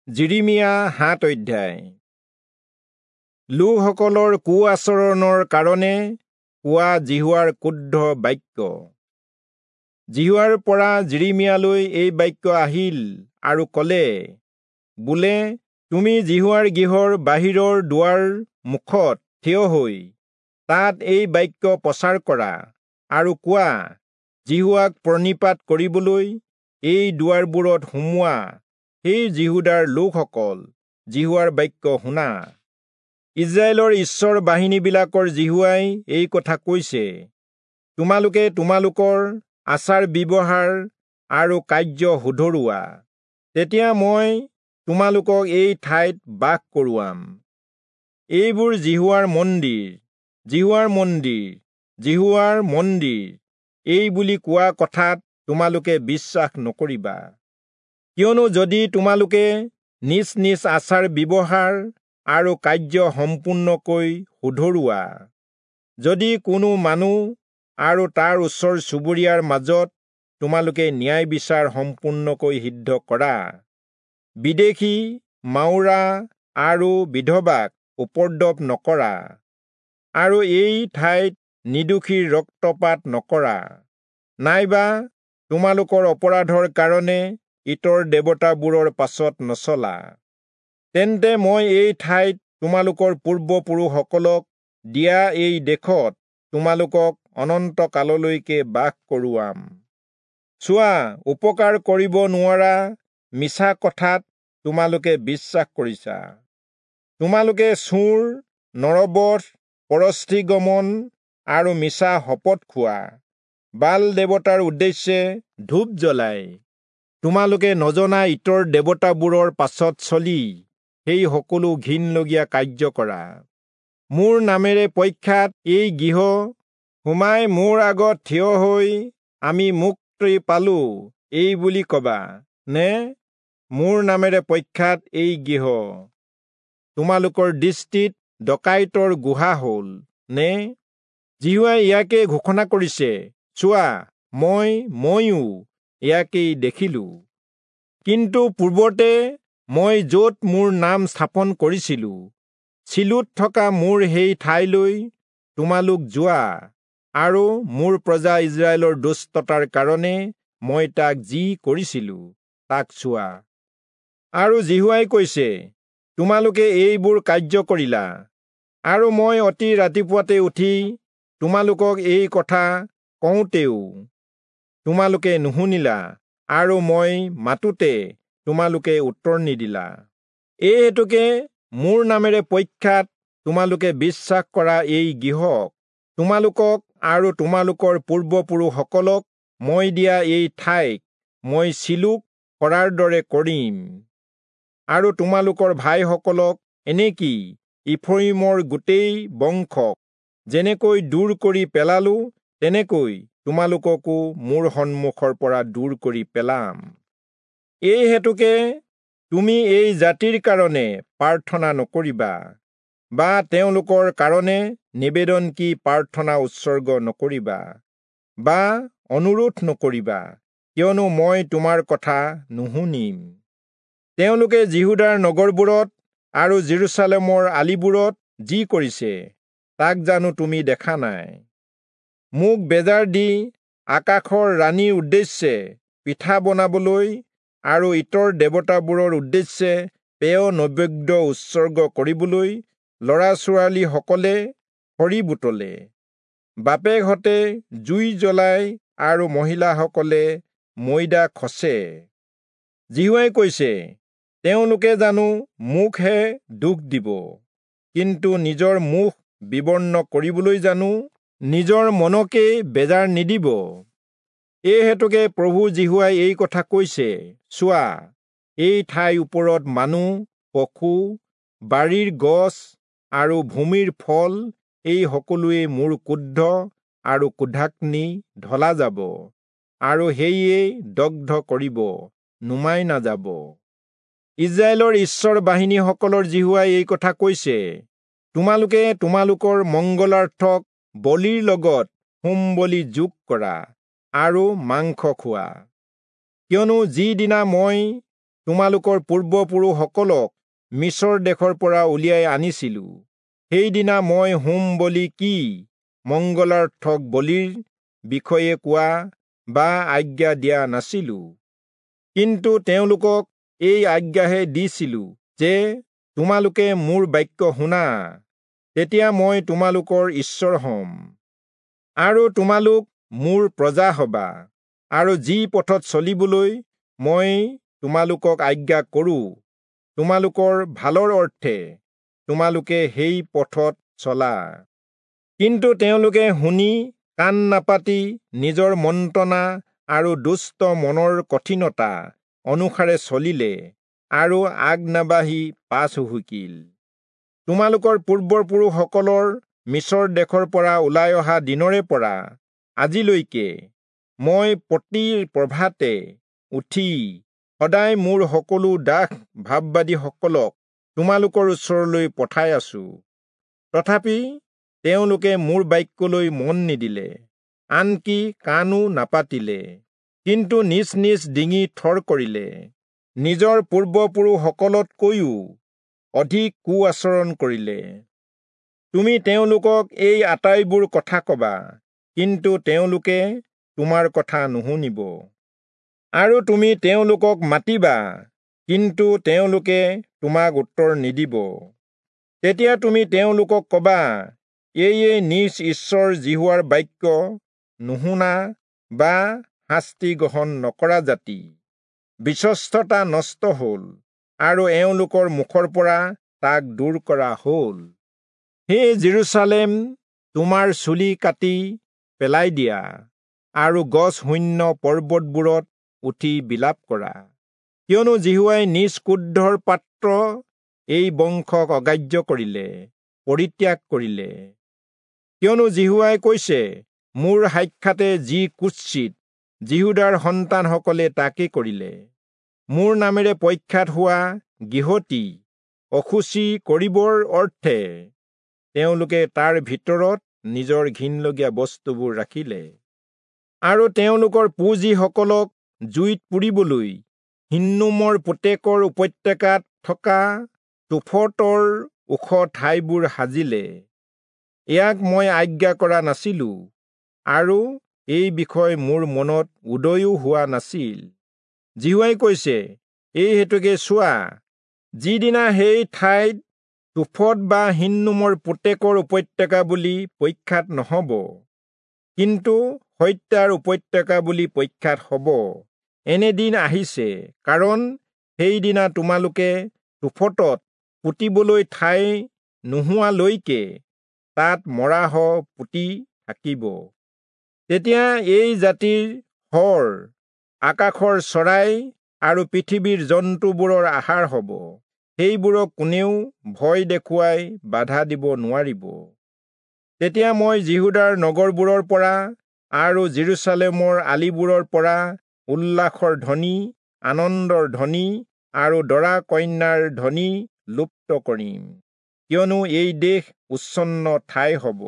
যিৰিমিয়া 7 অধ্যায়। লোকসকলৰ কুআচৰণৰ কাৰণে কোৱা যিহোৱাৰ ক্ৰুদ্ধ বাক্য। যিহোৱাৰ পৰা যিৰিমিয়ালৈ এই বাক্য আহিল আৰু কলে, বোলে, তুমি যিহোৱাৰ গৃহৰ বাহিৰৰ দুৱাৰ মুখত থিয় হৈ তাত এই বাক্য প্ৰচাৰ কৰা আৰু কোৱা, যিহোৱাক প্ৰণিপাত কৰিবলৈ এই দুৱাৰবোৰত সোমোৱা সেই যিহূদাৰ লোকসকল, যিহোৱাৰ বাক্য শুনা। ইস্ৰায়েলৰ ঈশ্বৰ বাহিনীবিলাকৰ যিহোৱাই এই কথা কৈছে, তোমালোকে তোমালোকৰ আচাৰ ব্যৱহাৰ আৰু কাৰ্য শুধৰোৱা, তেতিয়া মই তোমালোকক এই ঠাইত বাস কৰোৱাম। এইবোৰ যিহোৱাৰ মন্দিৰ, যিহোৱাৰ মন্দিৰ, যিহোৱাৰ মন্দিৰ, এই বুলি কোৱা কথাত তোমালোকে বিশ্বাস নকৰিবা। কিয়নো যদি তোমালোকে নিজ নিজ আচাৰ ব্যৱহাৰ আৰু কাৰ্য সম্পূৰ্ণকৈ শুধৰোৱা, যদি কোনো মানুহ আৰু তাৰ ওচৰ চুবুৰীয়াৰ মাজত তোমালোকে ন্যায় বিচাৰ সম্পূৰ্ণকৈ সিদ্ধ কৰা, বিদেশী, মাউৰা আৰু বিধৱাক উপদ্ৰৱ নকৰা, আৰু এই ঠাইত নিৰ্দোষীৰ ৰক্তপাত নকৰা, নাইবা তোমালোকৰ অপৰাধৰ কাৰণে ইতৰ দেৱতাবোৰৰ পাছত নচলা, তেন্তে মই এই ঠাইত তোমালোকৰ পূৰ্বপুৰুষসকলক দিয়া এই দেশত তোমালোকক অনন্তকাললৈকে বাস কৰোৱাম। চোৱা, উপকাৰ কৰিব নোৱাৰা মিছা কথাত তোমালোকে বিশ্বাস কৰিছা। তোমালোকে চোৰ, নৰবধ, পৰস্ত্ৰীগমন আৰু মিছা শপত খোৱা, বাল দেৱতাৰ উদ্দেশ্যে ধূপ জ্বলাই তোমালোকে নজনা ইতৰ দেৱতাবোৰৰ পাছত চলি সেই সকলো ঘিণলগীয়া কাৰ্য কৰা। মোৰ নামেৰে প্ৰখ্যাত এই গৃহ সোমাই মোৰ আগত থিয় হৈ আমি মুক্তি পালো এই বুলি কবা নে? মোৰ নামেৰে প্ৰখ্যাত এই গৃহ তোমালোকৰ দৃষ্টিত ডকাইতৰ গুহা হল নে? যিহোৱাই ইয়াকে ঘোষণা কৰিছে, চোৱা, ময়ো ইয়াকেই দেখিলো। কিন্তু পূৰ্বতে মই য'ত মোৰ নাম স্থাপন কৰিছিলো, চিলোত থকা মোৰ সেই ঠাইলৈ তোমালোক যোৱা, আৰু মোৰ প্ৰজা ইস্ৰায়েলৰ দুষ্টতাৰ কাৰণে মই তাক যি কৰিছিলো তাক চোৱা। আৰু যিহোৱাই কৈছে, তোমালোকে এইবোৰ কাৰ্য কৰিলা, আৰু মই অতি ৰাতিপুৱাতে উঠি তোমালোকক এই কথা কওঁতেও তোমালোকে নুশুনিলা, আৰু মই মাতোতে তোমালোকে উত্তৰ নিদিলা। এই হেতুকে মোৰ নামেৰে প্ৰখ্যাত তোমালোকে বিশ্বাস কৰা এই গৃহক, তোমালোকক আৰু তোমালোকৰ পূৰ্বপুৰুষসকলক মই দিয়া এই ঠাইক মই চিলোক কৰাৰ দৰে কৰিম, আৰু তোমালোকৰ ভাইসকলক, এনেকি ইফ্ৰয়িমৰ গোটেই বংশক যেনেকৈ দূৰ কৰি পেলালো, তেনেকৈ তোমালোককো মোৰ সন্মুখৰ পৰা দূৰ কৰি পেলাম। এই হেতুকে তুমি এই জাতিৰ কাৰণে প্ৰাৰ্থনা নকৰিবা, বা তেওঁলোকৰ কাৰণে নিবেদন কি প্ৰাৰ্থনা উৎসৰ্গ নকৰিবা, বা অনুৰোধ নকৰিবা, কিয়নো মই তোমাৰ কথা নুশুনিম। তেওঁলোকে যিহূদাৰ নগৰবোৰত আৰু যিৰূচালেমৰ আলিবোৰত যি কৰিছে, তাক জানো তুমি দেখা নাই? মোক বেজাৰ দি আকাশৰ ৰাণীৰ উদ্দেশ্যে পিঠা বনাবলৈ আৰু ইতৰ দেৱতাবোৰৰ উদ্দেশ্যে পেয় নৈবেদ্য উৎসৰ্গ কৰিবলৈ ল'ৰা ছোৱালীসকলে খৰি বুটলে, বাপেকহঁতে জুই জ্বলাই আৰু মহিলাসকলে ময়দা খচে। যিহোৱাই কৈছে, তেওঁলোকে জানো মোকহে দুখ দিব, কিন্তু নিজৰ মুখ বিবৰ্ণ কৰিবলৈ জানো নিজৰ মনকেই বেজাৰ নিদিব? এই হেতুকে প্ৰভু যিহোৱাই এই কথা কৈছে, চোৱা, এই ঠাইৰ ওপৰত মানুহ, পশু, বাৰীৰ গছ আৰু ভূমিৰ ফল, এই সকলোৱে মোৰ ক্ৰোধ আৰু ক্ৰোধাগ্নি ঢলা যাব, আৰু সেয়ে দগ্ধ কৰিব, নুমাই নাযাব। ইস্ৰায়েলৰ ঈশ্বৰ বাহিনীসকলৰ যিহোৱাই এই কথা কৈছে, তোমালোকে তোমালোকৰ মংগলাৰ্থক বলিৰ লগত হোম বলি যোগ কৰা আৰু মাংস খোৱা। কিয়নো যিদিনা মই তোমালোকৰ পূৰ্বপুৰুষসকলক মিচৰ দেশৰ পৰা উলিয়াই আনিছিলো, সেইদিনা মই হোম বলি কি মংগলাৰ্থক বলিৰ বিষয়ে কোৱা বা আজ্ঞা দিয়া নাছিলো, কিন্তু তেওঁলোকক এই আজ্ঞাহে দিছিলো যে তোমালোকে মোৰ বাক্য শুনা, তেতিয়া মই তোমালোকৰ ঈশ্বৰ হ'ম আৰু তোমালোক মোৰ প্ৰজা হবা, আৰু যি পথত চলিবলৈ মই তোমালোকক আজ্ঞা কৰো, তোমালোকৰ ভালৰ অৰ্থে তোমালোকে সেই পথত চলা। কিন্তু তেওঁলোকে শুনি কাণ নাপাতি নিজৰ মন্ত্ৰণা আৰু দুষ্ট মনৰ কঠিনতা অনুসাৰে চলিলে আৰু আগ নাবাঢ়ি পাছ হুহুকিল। তোমালোকৰ পূৰ্বপুৰুষসকলৰ মিচৰ দেশৰ পৰা ওলাই অহা দিনৰে পৰা আজিলৈকে মই প্ৰতি প্ৰভাতে উঠি সদায় মোৰ সকলো দাস ভাববাদীসকলক তোমালোকৰ ওচৰলৈ পঠাই আছো, তথাপি তেওঁলোকে মোৰ বাক্যলৈ মন নিদিলে, আনকি কাণো নাপাতিলে, কিন্তু নিজ নিজ ডিঙি থৰ কৰিলে, নিজৰ পূৰ্বপুৰুষসকলতকৈও অধিক কু আচৰণ কৰিলে। তুমি তেওঁলোকক এই আটাইবোৰ কথা কবা, কিন্তু তেওঁলোকে তোমাৰ কথা নুশুনিব, আৰু তুমি তেওঁলোকক মাতিবা, কিন্তু তেওঁলোকে তোমাক উত্তৰ নিদিব। তেতিয়া তুমি তেওঁলোকক কবা, এয়ে নিজ ঈশ্বৰ যিহোৱাৰ বাক্য নুশুনা বা শাস্তি গ্ৰহণ নকৰা জাতি, বিশ্বস্ততা নষ্ট হল আৰু এওঁলোকৰ মুখৰ পৰা তাক দূৰ কৰা হল। হে জেৰুচালেম, তোমাৰ চুলি কাটি পেলাই দিয়া আৰু গছ শূন্য পৰ্বতবোৰত উঠি বিলাপ কৰা, কিয়নো যিহোৱাই নিজ ক্ৰোধৰ পাত্ৰ এই বংশক অগ্ৰাহ্য কৰিলে, পৰিত্যাগ কৰিলে। কিয়নো যিহোৱাই কৈছে, মোৰ সাক্ষাতে যি কুৎসিত যিহূদাৰ সন্তানসকলে তাকে কৰিলে, মোৰ নামেৰে প্ৰখ্যাত হোৱা গৃহটি অশুচি কৰিবৰ অৰ্থে তেওঁলোকে তাৰ ভিতৰত নিজৰ ঘিণলগীয়া বস্তুবোৰ ৰাখিলে, আৰু তেওঁলোকৰ পুঁজিসকলক জুইত পুৰিবলৈ হিন্নোমৰ পুতেকৰ উপত্যকাত থকা তোফতৰ ওখ ঠাইবোৰ সাজিলে। ইয়াক মই আজ্ঞা কৰা নাছিলো, আৰু এই বিষয় মোৰ মনত উদয়ো হোৱা নাছিল। যিহোৱাই কৈছে, এই হেতুকে চোৱা, যিদিনা সেই ঠাইত তোফত বা হিন্নোমৰ পুতেকৰ উপত্যকা বুলি প্ৰখ্যাত নহব, কিন্তু হত্যাৰ উপত্যকা বুলি প্ৰখ্যাত হব, এনে দিন আহিছে, কাৰণ সেইদিনা তোমালোকে তোফতত পুতিবলৈ ঠাই নোহোৱালৈকে তাত মৰাশ পুতি থাকিব। তেতিয়া এই জাতিৰ শৰ আকাশৰ চৰাই আৰু পৃথিৱীৰ জন্তুবোৰৰ আহাৰ হব, সেইবোৰক কোনেও ভয় দেখুৱাই বাধা দিব নোৱাৰিব। তেতিয়া মই যিহূদাৰ নগৰবোৰৰ পৰা আৰু জেৰুচালেমৰ আলিবোৰৰ পৰা উল্লাসৰ ধ্বনি, আনন্দৰ ধ্বনি আৰু দৰা কন্যাৰ ধ্বনি লুপ্ত কৰিম, কিয়নো এই দেশ উচ্ছন্ন ঠাই হব।